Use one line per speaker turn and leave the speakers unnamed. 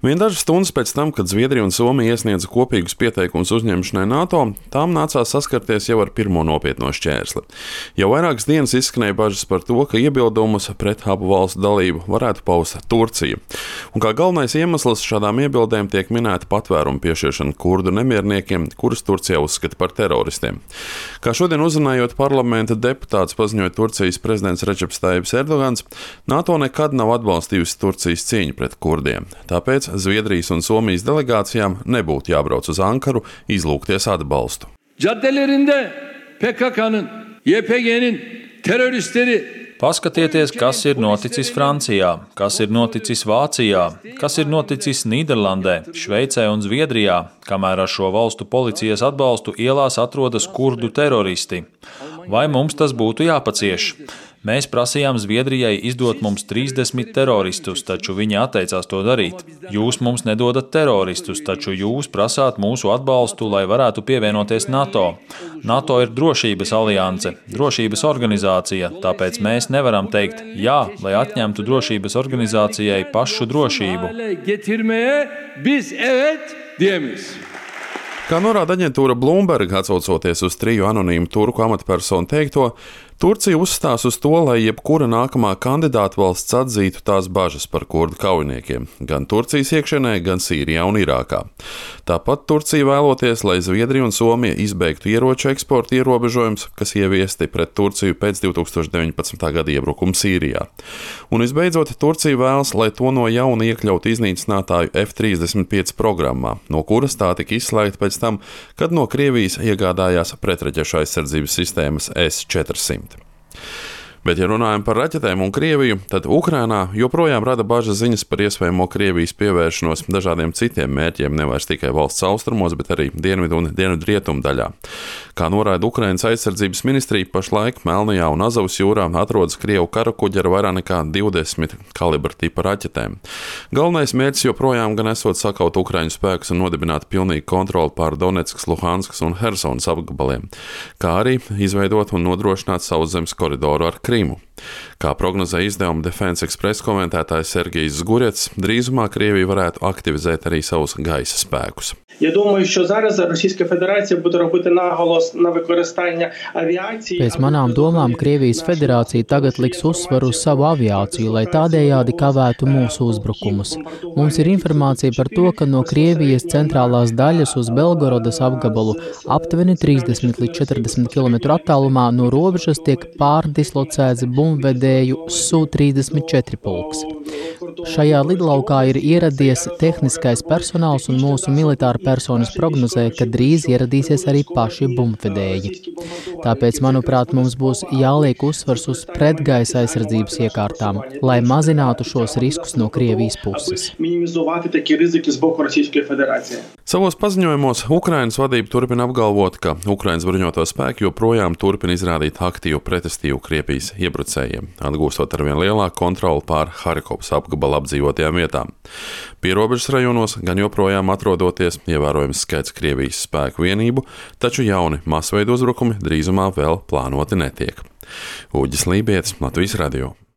Vien dažas stundas pēc tam, kad Zviedrija un Somija iesniedza kopīgus pieteikumus uzņemšanai NATO, tām nācās saskarties jau ar pirmo nopietno šķērsli. Jau vairākas dienas izskanēja bažas par to, ka iebildumus pret abu valstu dalību varētu paust Turcija. Un kā galvenais iemesls šādām iebildēm tiek minēta patvērumu piešķiršana kurdu nemierniekiem, kurus Turcija uzskata par teroristiem. Kā šodien uzrunājot parlamenta deputāts, paziņoja Turcijas prezidents Redžeps Tajibs Erdogans, NATO nekad nav atbalstījusi Turcijas cīņu pret kurdiem. Tāpēc Zviedrijas un Somijas delegācijām nebūtu jābrauc uz Ankaru izlūgties atbalstu.
Caddelerinde PKK'nın, YPG'nin teröristleri.
Paskatieties, kas ir noticis Francijā, kas ir noticis Vācijā, kas ir noticis Nīderlandē, Šveicē un Zviedrijā, kamēr ar šo valstu policijas atbalstu ielās atrodas kurdu teroristi. Vai mums tas būtu jāpacieš? Mēs prasījām Zviedrijai izdot mums 30 teroristus, taču viņi atteicās to darīt. Jūs mums nedodat teroristus, taču jūs prasāt mūsu atbalstu, lai varētu pievienoties NATO. NATO ir drošības alianse, drošības organizācija, tāpēc mēs nevaram teikt jā, lai atņemtu drošības organizācijai pašu drošību.
Kā norāda aģentūra Bloomberg, atsaucoties uz 3 anonīmu turku amatpersonu teikto, Turcija uzstās uz to, lai jebkura nākamā kandidāta valsts atzītu tās bažas par kurdu kaujiniekiem, gan Turcijas iekšienē, gan Sīrijā un Irākā. Tāpat Turcija vēloties, lai Zviedrija un Somija izbeigtu ieroču eksporta ierobežojumus, kas ieviesti pret Turciju pēc 2019. gada iebrukuma Sīrijā. Un visbeidzot, Turcija vēlas, lai to no jauna iekļautu iznīcinātāju F-35 programmā, no kuras tā tika izslēgta pēc tam, kad no Krievijas iegādājās pretraķešu aizsardzības sistēmas S-400. Bet, ja runājam par raķetēm un Krieviju, tad Ukrainā joprojām rada bažas ziņas par iespējamo Krievijas pievēršanos dažādiem citiem mērķiem, nevairs tikai valsts austrumos, bet arī dienvidu un dienvidrietumu daļā. Kā norāda Ukrainas aizsardzības ministrija, pašlaik Melnajā un Azovas jūrā atrodas Krievu karakuģi ar vairāk nekā 20 kalibra tipa raķetēm. Galvenais mērķis joprojām gan esot sakaut Ukraiņu spēkus un nodibināt pilnīgu kontroli pār Donetskas, Luhanskas un Hersonas apgabaliem, kā arī izveidot un nodrošināt sauszemes koridoru ar Krimu. Kā prognozē izdevuma Defense Express komentētājs Sergejs Zgurets, drīzumā Krievija varētu aktivizēt arī savus gaisa spēkus.
Pēc manām domām Krievijas federācija tagad liks uzsvaru uz savu aviāciju, lai tādējādi kavētu mūsu uzbrukumus. Mums ir informācija par to, ka no Krievijas centrālās daļas uz Belgorodas apgabalu aptuveni 30 līdz 40 km attālumā no robežas tiek pārdislocēts bumbvedēju Su-34 pulks. Šajā lidlaukā ir ieradies tehniskais personāls un mūsu militāra personas prognozē, ka drīz ieradīsies arī paši bumbvedēji. Tāpēc, manuprāt, mums būs jāliek uzsvars uz pretgaisa aizsardzības iekārtām, lai mazinātu šos riskus no Krievijas puses.
Savos paziņojumos Ukrainas vadība turpina apgalvot, ka Ukrainas bruņoto spēki joprojām turpina izrādīt aktīvu pretestību Krievijas iebrucējiem, atgūstot arvien lielāku kontroli pār Harkovas apgabala apdzīvotajām vietām. Pierobežas rajonos gan joprojām atrodoties ievērojams skaits Krievijas spēku vienību, taču jauni masveida uzbrukumi drīzumā vēl plānoti netiek. Uģis Lībietis, Latvijas radio.